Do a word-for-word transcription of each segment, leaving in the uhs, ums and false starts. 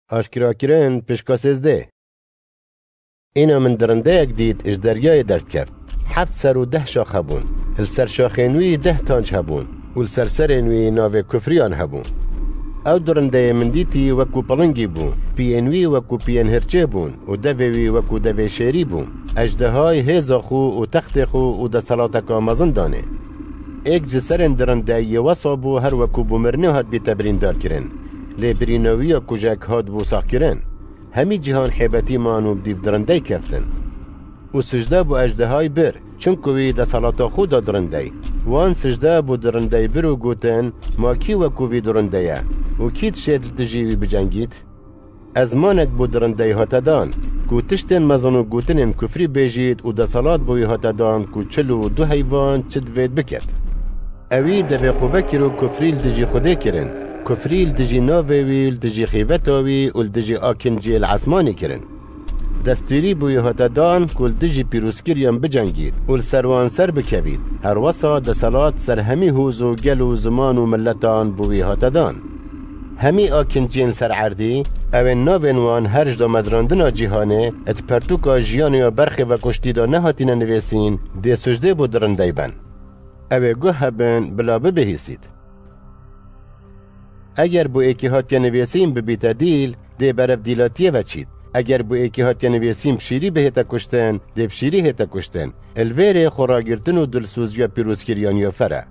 Aşkerakirin pişka sêzdeh. Îna min dirindeyek dît ji deryayê derdikeft. Heft ser û deh şax hebûn. Li ser şaxên wî deh tanc hebûn û li ser serên wî navê kufriyan hebû. Ew dirindeyê min dîtî wekû pilingî bû, piyên wî wekû piyên hirçê bûn û devê wî wekû devê şêrî bû. Ejdehay hêza xwe û textê xwe û deselateka mezin danê. Êk ji serên dirindeyê wesa bû her wekû bû mirinê hat bîte birîndarkirin. Lê birîna wî ya kujek hat bû saxkirin. Hemî cîhan hêbetî man û bi dîv dirindey keftin. Û sicde bo ejdehayî bir, çimku wî desalata xwe da dirindey. Wan sicde bo dirindey bir û gotin, ma kî wekû vî dirinde ye? Û kî dişêt li dijî wî bicengît? Ezmanek bo dirindey hate dan, ku tiştên mezin û gotinên kufrî bêjît û desalat bo wî hate dan, ku çil û du heyvan çi divêt biket. Ewî devê xwe vekir û kufrî li dijî Xwedê kirin, kufrî li dijî navê wî, li dijî xîveta wî û li dijî akinciyê li esmanê kirin. Destûrî bo wî hate dan ku li dijî pîrozkiriyan bicengît û li ser wan ser bikevît. Her wesa deselat ser hemî hûz û gel û ziman û miletan bo wî hate dan. Hemî akinciyên ser erdî, ewên navên wan her ji damezrandina cîhanê, di pertûka jiyanê ya berxê vekoştî de nehatine nivêsîn, dê sicdê bo dirindey ben. Ew ê guh hebin, bila bibihîsît. Eger bo êkê hatiye nivêsîn bibîte dîl, dê berev dîlatiyê ve çît. Eger bo êkê hatiye nivêsîn bi şîrî bihête kuştin, dê bi şîrî hête kuştin. Li vêrê xweragirtin û dilsoziya pîrozkiriyan ya fer e.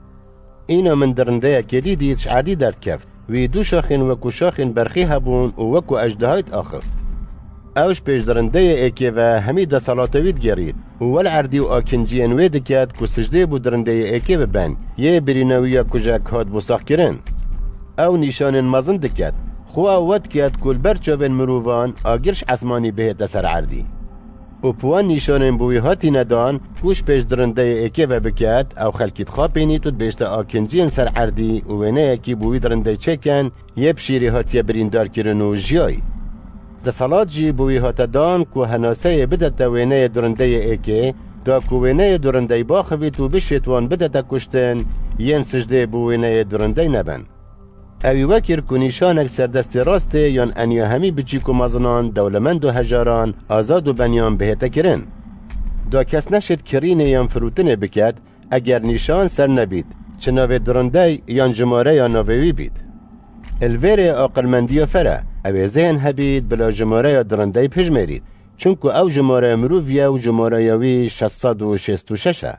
Îna min dirindeyekê dî dît ji erdî derdikeft. Wî du şaxên wekû şaxên berxî hebûn û wekû ejdehayî diaxift. Ew ji pêş dirindeyê êkê ve hemî desalata wî digêrît û wel erdî û akinciyên wê diket ku sicdê bo dirindeyê êkê biben, yê birîna wî ya kujek hat bo saxkirin. Ew nîşanên mezin diket, xwe ew we diket ku li ber çavên mirovan agir ji esmanî bihête ser erdî. Û bi wan nîşanên bo wî hatîne dan, ku ji pêş dirindeyê êkê ve biket, ew xelkî dixapînît û dibêjte akinciyên ser erdî û wêneyekî bo wî dirindey çêken, yê bi şîrî hatiye birîndarkirin û jiyayî. Deselat jî bo wî hate dan ku henaseyê bidete wêneyê dirindeyê êkê, da ku wêneyê dirindey baxivît û bişêt wan bidete kuştin, yên sicdê bo wêneyê dirindey nebin. Ewî wekir ku nîşanek ser destê rastê yan eniya hemî biçîk û mezinan, dewlemend û hejaran, azad û benyan bihête kirin. Da kes neşêt kirînê yan firûtinê biket, eger nîşan ser nebît, çi navê dirindey yan jimareya navê wî bît. Li vêrê aqilmendiya fer e, ew ê zihn hebît bila jimareya dirindey bihijmêrît, çunku ew jimareya mirovî ye û jimareya wî şeş sed û şêst û şeş e.